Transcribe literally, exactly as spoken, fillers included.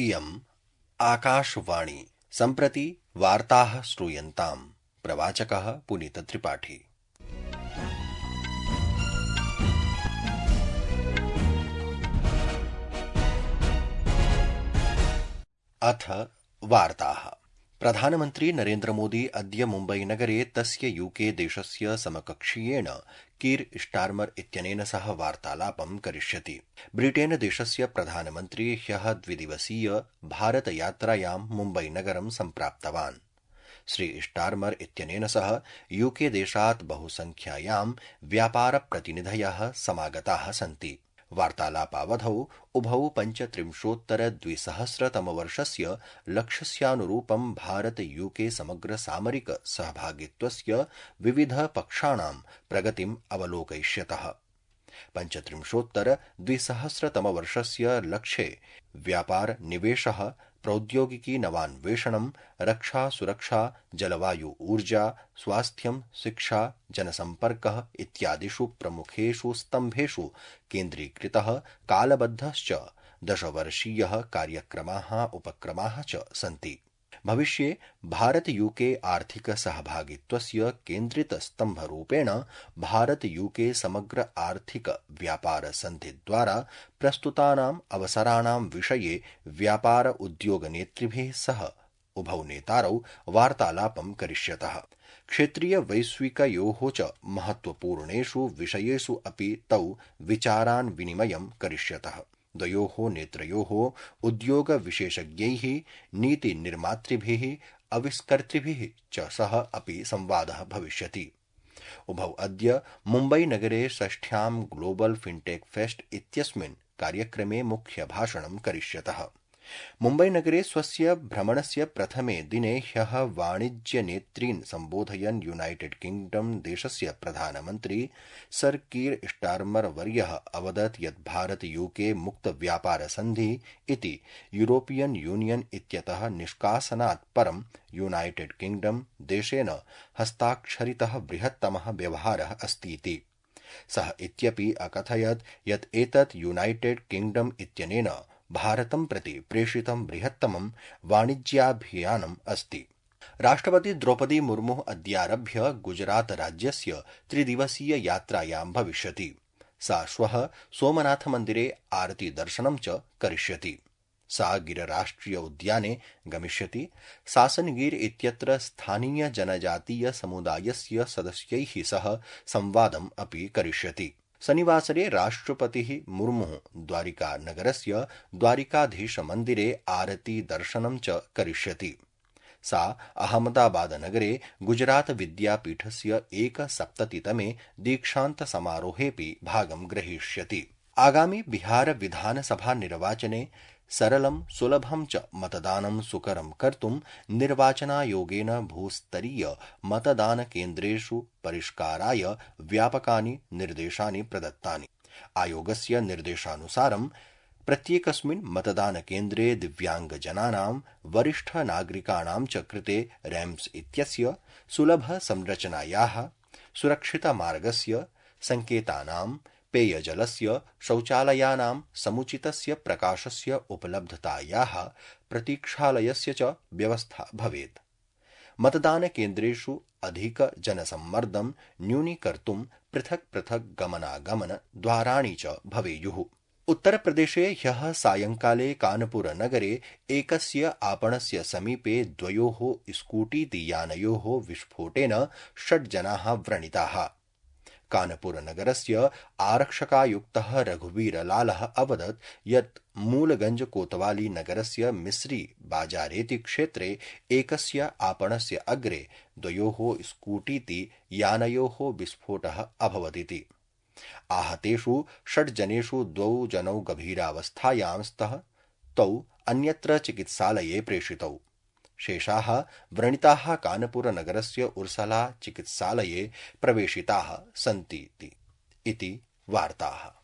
इयम् आकाशवाणी। सम्प्रति वार्ताः श्रूयन्ताम्। प्रवाचकः पुनीतत्रिपाठी। अथ वार्ताः। प्रधानमन्त्री नरेन्द्रमोदी अद्य मुम्बईनगरे तस्य यूके देशस्य समकक्षीयेण कीर स्टारमर इत्यनेन सह वार्तालापं करिष्यति। ब्रिटेन देशस्य प्रधानमन्त्री ह्यः द्विदिवसीय भारतयात्रायां मुम्बईनगरं सम्प्राप्तवान्। श्री स्टारमर इत्यनेन सह यूके देशात् बहुसंख्यायां व्यापारप्रतिनिधयः समागताः सन्ति। वार्तालापावधौ उभौ पञ्चत्रिंशोत्तर द्विसहस्रतमवर्षस्य लक्ष्यस्यानुरूपं भारत यूके समग्र सामरिक सहभागित्वस्य विविध पक्षाणां प्रगतिम् अवलोकयिष्यतः। पञ्चत्रिंशोत्तर द्विसहस्रतमवर्षस्य लक्ष्ये व्यापार निवेशः, प्रौद्योगिकी नवान्वेषणं, रक्षा सुरक्षा, जलवायु ऊर्जा, स्वास्थ्यं, शिक्षा, जनसम्पर्कः इत्यादिषु प्रमुखेषु स्तम्भेषु केन्द्रीकृतः कालबद्धश्च दशवर्षीयः कार्यक्रमाः उपक्रमाः च सन्ति। भविष्ये भारत यूके आर्थिक सहभागित्वस्य केन्द्रितस्तम्भरूपेण भारत यूके समग्र आर्थिक व्यापार सन्धिद्वारा प्रस्तुतानाम् अवसराणां विषये व्यापार उद्योग नेतृभिः सह उभौ नेतारौ वार्तालापं करिष्यतः। क्षेत्रीय वैश्विकयोः च महत्वपूर्णेषु विषयेषु अपि तौ विचारान् विनिमयं करिष्यतः। द्वयोः नेत्रयोः उद्योग विशेषज्ञैः, नीतिनिर्मातृभिः, आविष्कर्तृभिः च सह अपि संवादः भविष्यति। उभौ अद्य मुम्बईनगरे षष्ठ्यां ग्लोबल फिनटेक फेस्ट इत्यस्मिन् कार्यक्रमे मुख्यभाषणं करिष्यतः। मुम्बईनगरे स्वस्य भ्रमणस्य प्रथमे दिने ह्यः वाणिज्यनेतॄन् सम्बोधयन् यूनाइटेड किंगडम देशस्य प्रधानमन्त्री सर कीर स्टारमर वर्यः अवदत् यत् भारत यूके मुक्त व्यापार सन्धि इति यूरोपियन यूनियन इत्यतः निष्कासनात् परं यूनाइटेड किंगडम देशेन हस्ताक्षरितः बृहत्तमः व्यवहारः अस्तीति। सः इत्यपि अकथयत् यत् एतत् यूनाइटेड किंगडम इत्यनेन भारतं प्रति प्रेषितं बृहत्तमं वाणिज्याभियानम् अस्ति। राष्ट्रपति द्रौपदी मुर्मुः अद्यारभ्य गुजरात राज्यस्य त्रिदिवसीय यात्रायां भविष्यति। सा श्वः सोमनाथ मन्दिरे आरती दर्शनं च करिष्यति। सा गिरराष्ट्रिय उद्याने गमिष्यति। सासनगिर इत्यत्र स्थानीय जनजातीय समुदायस्य सदस्यैः सह संवादम् अपि करिष्यति। शनिवासरे राष्ट्रपतिः मुर्मुः द्वारिका नगरस्य द्वारिकाधीश मन्दिरे आरती दर्शनं च करिष्यति। सा अहमदाबाद नगरे गुजरात विद्यापीठस्य एकसप्ततितमे दीक्षान्त समारोहेऽपि भागं ग्रहीष्यति। आगामि बिहार विधानसभा निर्वाचने सरलं सुलभं च मतदानं सुकरं कर्तुं निर्वाचनायोगेन भूस्तरीय मतदानकेन्द्रेषु परिष्काराय व्यापकानि निर्देशानि प्रदत्तानि। आयोगस्य निर्देशानुसारं प्रत्येकस्मिन् मतदानकेन्द्रे दिव्याङ्गजनानां, वरिष्ठनागरिकाणां च कृते रैम्प्स् इत्यस्य सुलभसंरचनायाः, सुरक्षितमार्गस्य, सङ्केतानां, पेयजलस्य, शौचालयानां, समुचितस्य प्रकाशस्य उपलब्धतायाः, प्रतीक्षालयस्य च व्यवस्था भवेत्। मतदानकेन्द्रेषु अधिकजनसम्मर्दं न्यूनीकर्तुं पृथक् पृथक् गमनागमन द्वाराणि च भवेयुः। उत्तरप्रदेशे ह्यः सायंकाले कानपुरनगरे एकस्य आपणस्य समीपे द्वयोः स्कूटीयानयोः विस्फोटेन षड् जनाः व्रणिताः। कानपुरनगरस्य आरक्षकायुक्तः रघुवीरलालः अवदत् यत् मूलगंज कोतवाली नगरस्य मिस्री बाजारेति क्षेत्रे एकस्य आपणस्य अग्रे द्वयोः स्कूटीति यानयोः विस्फोटः अभवदिति। आहतेषु षड् जनेषु द्वौ जनौ गभीरावस्थायां स्तः। तौ अन्यत्र चिकित्सालये प्रेषितौ। शेषाः व्रणिताः कानपुरनगरस्य उर्सला चिकित्सालये प्रवेशिताः सन्ति इति वार्ताः।